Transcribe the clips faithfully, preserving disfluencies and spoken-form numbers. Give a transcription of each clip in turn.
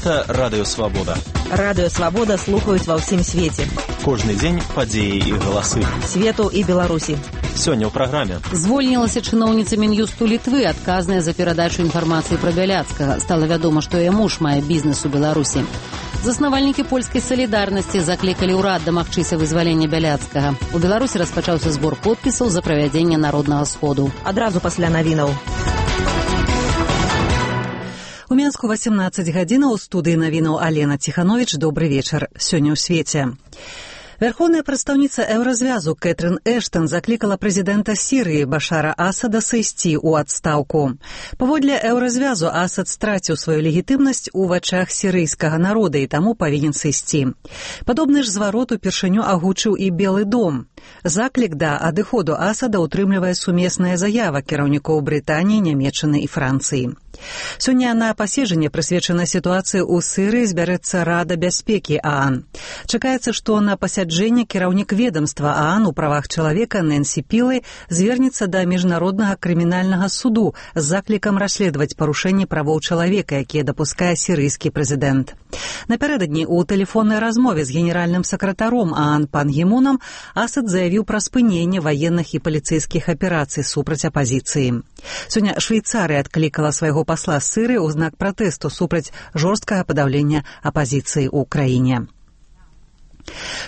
Гэта Радыё Свабода. Радыё Свабода слухаюць ва ўсім свеце. Кожны дзень падзеі і галасы. Свету і Беларусі. Сёння ў праграме. Звольнілася чыноўніца Мін'юсту Літвы, адказная за перадачу інфармацыі пра Бяляцкага. Стала вядома, што яе муж мае бізнес у Беларусі. Заснавальнікі польскай салідарнасці заклікалі ўрад дамагчыся вызвалення Бяляцкага. У Беларусі распачаўся збор подпісаў за правядзенне народнага сходу. Адразу пасля навінаў. У Менску васемнаццаць гадзінаў, у студыі навінаў Алена Ціхановіч. Добры вечар. Сёння ў свеце. Верховная прадстаўніца Еўразвязу Кэтрын Эштон заклікала прэзідэнта Сірыі Башара Асада сысці ў адстаўку. Паводле Еўразвязу Асад страціў сваю легітымнасць у вачах сірыйскага народа і таму павінен сысці. Падобны ж зварот упершыню агучыў і Белы дом. Заклік да адыходу Асада ўтрымлівае сумесная заява кіраўнікоў Брытаніі, Нямецчыны і Францыі. Сёння на паседжанне, прысвечанай сітуацыі ў Сірыі, збярэцца Рада бяспекі ААН. Чакаецца, што на пасяджэнне кіраўнік ведамства ААН у правах чалавека Нэнсі Пілай звернецца да міжнароднага крымінальнага суду з заклікам расследаваць парушэнні правоў чалавека, якія дапускае сірыйскі прэзідэнт. Напярэдадні ў тэлефоннай размове з генеральным сакратаром ААН пан Гі Мунам Асад заявіў пра спыненне ваенных і паліцэйскіх аперацый супраць апазіцыі. Сёння Швейцарыя адклікала свайго пасла з Сірыі ў знак пратэсту супраць жорсткага падаўлення апазіцыі ў краіне.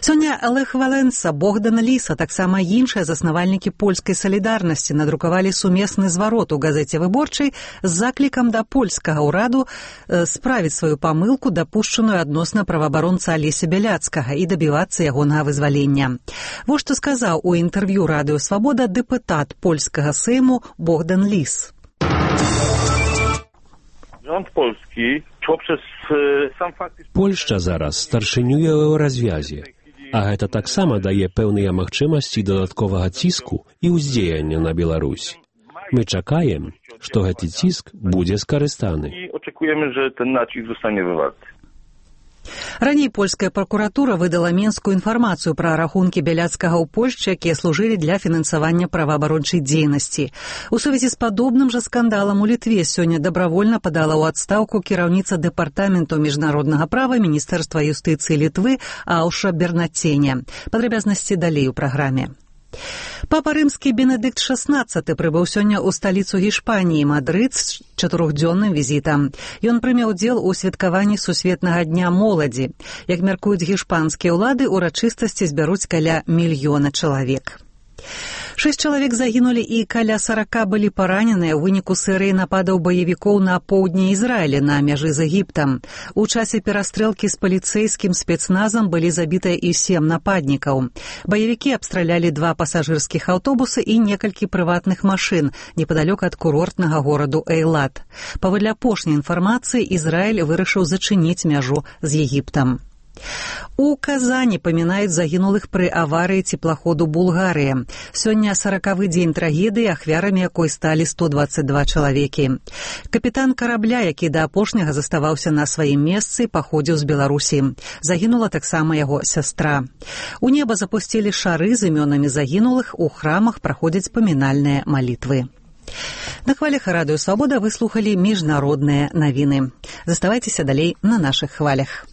Сёння Лех Валенса, Богдан Ліс, а таксама іншыя заснавальнікі польскай салідарнасці надрукавалі сумесны зварот у газеце «Выборчай» з заклікам да польскага ўраду э, справіць сваю памылку, дапушчаную адносна праваабаронца Алеся Бяляцкага, і дабівацца ягонага вызвалення. Вось што сказаў у інтэрв'ю Радыё Свабода дэпутат польскага сейму Богдан Ліс. Rząd polski poprzez sam fakt... Польшча зараз старшынюе ў Еўразвязе, а гэта таксама дае пэўныя магчымасці дадатковага ціску і ўздзеяння на Беларусь. Мы чакаем, што гэты ціск будзе скарыстаны. I oczekujemy, że ten nacisk zostanie wywarty. Раней польская пракуратура выдала Менскую інфармацыю пра рахункі Бяляцкага ў Польшчы, якія служылі для фінансавання праваабарончай дзейнасці. У сувязі з падобным жа скандалам у Літве сёння дабравольна падала ў адстаўку кіраўніца дэпартаменту міжнароднага права Міністэрства юстыцыі Літвы Ауша Бернаценя. Падрабязнасці далей у праграме. Папа рымскі Бенедыкт шаснаццаты прыбыў сёння ў сталіцу Гішпаніі, Мадрыд, з чатырохдзённым візітам. Ён прыме ўдзел у святкаванні Сусветнага дня моладзі. Як мяркуюць гішпанскія ўлады, урачыстасці збяруць каля мільёна чалавек. Шэсць чалавек загінулі і каля сарака былі параненыя ў выніку серыі нападаў баевікоў на поўдні Ізраіля на мяжы з Егіптам. У часе перастрэлкі з паліцэйскім спецназам былі забітыя і сем нападнікаў. Баевікі абстралялі два пасажырскіх аўтобусы і некалькі прыватных машын непадалёк ад курортнага гораду Эйлат. Паводле апошняй інфармацыі, Ізраіль вырашыў зачыніць мяжу з Егіптам. У Казані памінаюць загінулых пры аварыі цеплаходу «Булгарыя». Сёння саракавы дзень трагедыі, ахвярамі якой сталі сто дваццаць два чалавекі. Капітан карабля, які да апошняга заставаўся на сваім месцы, паходзіў з Беларусі. Загінула таксама яго сястра. У неба запусцілі шары з імёнамі загінулых, у храмах праходзяць памінальныя малітвы. На хвалях Радыё Свабода вы слухалі міжнародныя навіны. Заставайцеся далей на нашых хвалях.